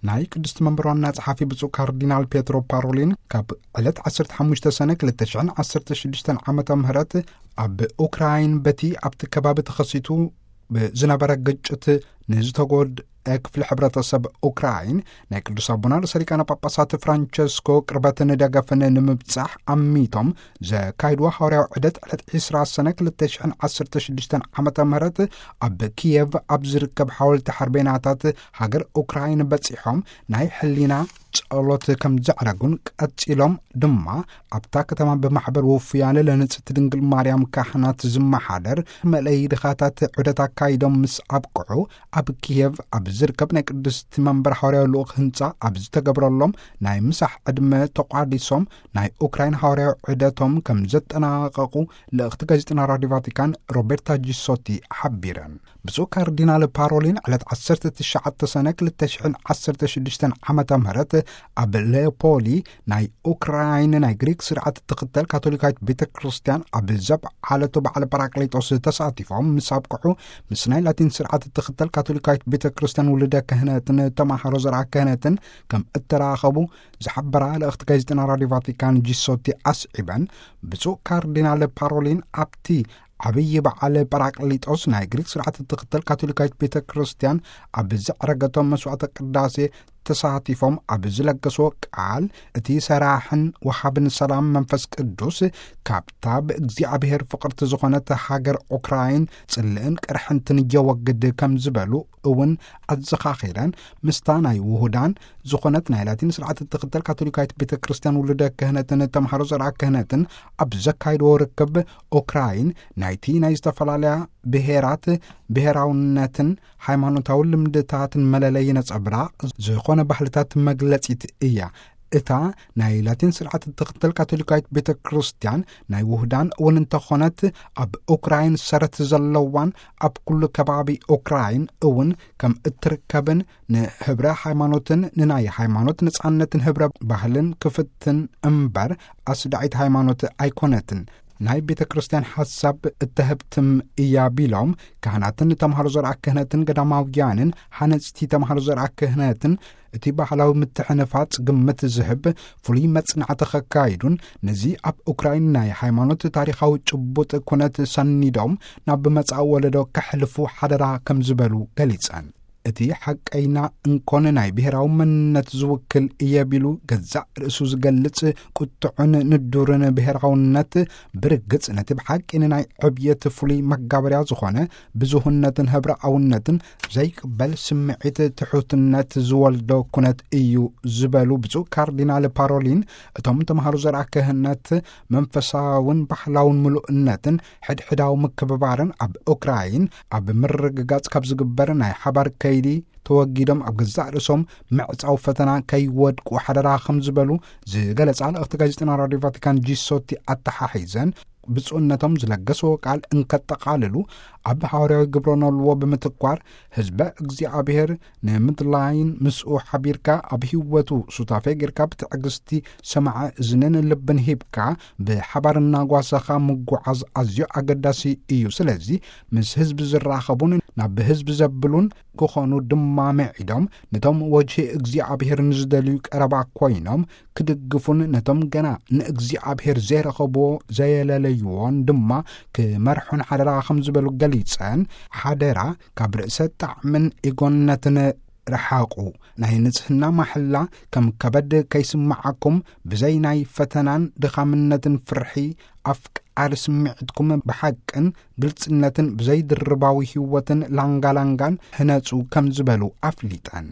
ናይ ቅድስቲ መንበር ዋና ጸሓፊ ብፁዕ ካርዲናል ፔትሮ ፓሮሊን ካብ ዕለት ዓሰርተ ሓሙሽተ ሰነ ክልተ ሽሕን ዓሰርተ ሽዱሽተን ዓመተ ምህረት ኣብ ኡክራይን በቲ ኣብቲ ከባቢ ተኸሲቱ ብዝነበረ ግጭት ንዝተጎድአ ክፍሊ ሕብረተሰብ ኡክራይን ናይ ቅዱስ ኣቦና ርእሰ ሊቃነ ጳጳሳት ፍራንቸስኮ ቅርበትን ደገፍን ንምብጻሕ ኣሚቶም ዘካይድዎ ሃዋርያዊ ዑደት ዕለት ዕስራ ሰነ ክልተ ሽሕን ዓሰርተ ሽዱሽተን ዓመተ ምህረት ኣብ ኪየቭ ኣብ ዝርከብ ሓወልቲ ሓርቤናታት ሃገር ኡክራይን በጺሖም ናይ ሕሊና ጸሎት ከም ዘዕረጉን ቀጺሎም ድማ ኣብታ ከተማ ብማሕበር ውፉያነ ለንጽቲ ድንግል ማርያም ካህናት ዝመሓደር መለይ ድኻታት ዑደት ኣካይዶም ምስ ኣብቅዑ ኣብ ኪየቭ ኣብ ዝርከብ ናይ ቅድስቲ መንበር ሃዋርያዊ ልኡኽ ህንጻ ኣብ ዝተገብረሎም ናይ ምሳሕ ዕድመ ተቋዲሶም ናይ ኡክራይን ሃዋርያዊ ዑደቶም ከም ዘጠናቐቑ ልእኽቲ ጋዜጠና ራዲዮ ቫቲካን ሮቤርታ ጂሶቲ ሓቢረን። ብፁዕ ካርዲናል ፓሮሊን ዕለት ዓሰርተ ትሽዓተ ሰነ ክልተ ሽሕን ዓሰርተ ሽዱሽተን ዓመተ ምህረት ኣብ ሌፖሊ ናይ ኡክራይን ናይ ግሪክ ስርዓት እትኽተል ካቶሊካዊት ቤተ ክርስቲያን ኣብ ዘብዓለቶ በዓለ ጳራቅሊጦስ ተሳቲፎም ምስ ኣብቅሑ ምስ ናይ ላቲን ስርዓት እትኽተል ካቶሊካዊት ቤተ ክርስቲያን ውልደ ክህነትን ተማሃሮ ዘርዓ ክህነትን ከም እተራኸቡ ዝሓበራ ልእኽቲ ጋዜጠና ራዲዮ ቫቲካን ጂሶቲ ኣስዒበን ብፁዕ ካርዲናል ፓሮሊን ኣብቲ ዓብዪ በዓል ጳራቅሊጦስ ናይ ግሪክ ስርዓት እትኽተል ካቶሊካዊት ቤተ ክርስቲያን ኣብ ዘዕረገቶም መስዋዕተ ቅዳሴ ተሳቲፎም ኣብ ዝለገስዎ ቃል እቲ ሰራሕን ወሃብን ሰላም መንፈስ ቅዱስ ካብታ ብእግዚኣብሔር ፍቕርቲ ዝኾነት ሃገር ኡክራይን ጽልእን ቅርሕንትን የወግድ ከም ዝበሉ እውን ኣዘኻኺረን ምስታ ናይ ውሁዳን ዝኾነት ናይ ላቲን ስርዓት እትኽተል ካቶሊካዊት ቤተ ክርስቲያን ውሉደ ክህነትን ተምሃሮ ዘርዓ ክህነትን ኣብ ዘካይድዎ ርክብ ኡክራይን ናይቲ ናይ ዝተፈላለያ ብሔራት ብሔራውነትን ሃይማኖታዊ ልምድታትን መለለይ ነጸብራቕ ዝኾነ ባህልታት መግለጺት እያ። እታ ናይ ላቲን ስርዓት እትኽተል ካቶሊካዊት ቤተ ክርስቲያን ናይ ውህዳን እውን እንተኾነት ኣብ ኡክራይን ሰረት ዘለዋን ኣብ ኩሉ ከባቢ ኡክራይን እውን ከም እትርከብን ንህብረ ሃይማኖትን ንናይ ሃይማኖት ነጻነትን ህብረ ባህልን ክፍትን እምበር ኣስዳዒት ሃይማኖት ኣይኮነትን። ናይ ቤተ ክርስቲያን ሓሳብ እተህብትም እያ ቢሎም ካህናትን ተምሃሮ ዘርኣ ክህነትን ገዳማውያንን ሓነጽቲ ተምሃሮ ዘርኣ ክህነትን እቲ ባህላዊ ምትሕንፋጽ ግምት ዝህብ ፍሉይ መጽናዕቲ ከካይዱን ነዚ ኣብ ኡክራይን ናይ ሃይማኖት ታሪኻዊ ጭቡጥ ኩነት ሰኒዶም ናብ መጻኢ ወለዶ ከሕልፉ ሓደራ ከም ዝበሉ ገሊጸን። እቲ ሓቀይና እንኮን ናይ ብሔራዊ መንነት ዝውክል እየ ቢሉ ገዛእ ርእሱ ዝገልጽ ቁጥዑን ንዱርን ብሔራውነት ብርግጽ ነቲ ብሓቂ ንናይ ዕብየት ፍሉይ መጋበርያ ዝኾነ ብዙህነትን ህብረኣውነትን ዘይቅበል ስምዒት ትሑትነት ዝወልዶ ኩነት እዩ ዝበሉ ብፁዕ ካርዲናል ፓሮሊን እቶም ተምሃሮ ዘርኣ ክህነት መንፈሳውን ባህላውን ምሉእነትን ሕድሕዳዊ ምክብባርን ኣብ ኡክራይን ኣብ ምርግጋጽ ካብ ዝግበር ናይ ሓባር ከይዲ ተወጊዶም ኣብ ገዛእ ርእሶም ምዕጻው ፈተና ከይወድቁ ሓደራ ከም ዝበሉ ዝገለጻ ልእኽቲ ጋዜጠና ራድዮ ቫቲካን ጂሶቲ ኣተሓሒዘን ብፁዕነቶም ዝለገስዎ ቃል እንከጠቓልሉ ኣብ ሃዋርያዊ ግብረ ነልዎ ብምትኳር ህዝበ እግዚኣብሔር ንምድላይን ምስኡ ሓቢርካ ኣብ ህይወቱ ሱታፌ ጌርካ ብትዕግስቲ ሰማዐ እዝንን ልብን ሂብካ ብሓባር እናጓሰኻ ምጉዓዝ ኣዝዮ ኣገዳሲ እዩ። ስለዚ ምስ ህዝቢ ዝራኸቡን ናብ ህዝቢ ዘብሉን ክኾኑ ድማ ምዒዶም ነቶም ወጅሂ እግዚኣብሔር ንዝደልዩ ቀረባ ኮይኖም ክድግፉን ነቶም ገና ንእግዚኣብሔር ዘይረኸብዎ ዘየለለይዎን ድማ ክመርሑን ሓደራ ከም ዝበሉ ገሊጸን ሓደራ ካብ ርእሰ ጣዕምን ኢጎነትን ረሓቑ። ናይ ንጽህና ማሕላ ከም ከበድ ከይስምዓኩም ብዘይ ናይ ፈተናን ድኻምነትን ፍርሒ ኣፍቃሪ ስምዒትኩም ብሓቅን ግልጽነትን ብዘይ ድርባዊ ህይወትን ላንጋላንጋን ህነጹ ከም ዝበሉ ኣፍሊጠን።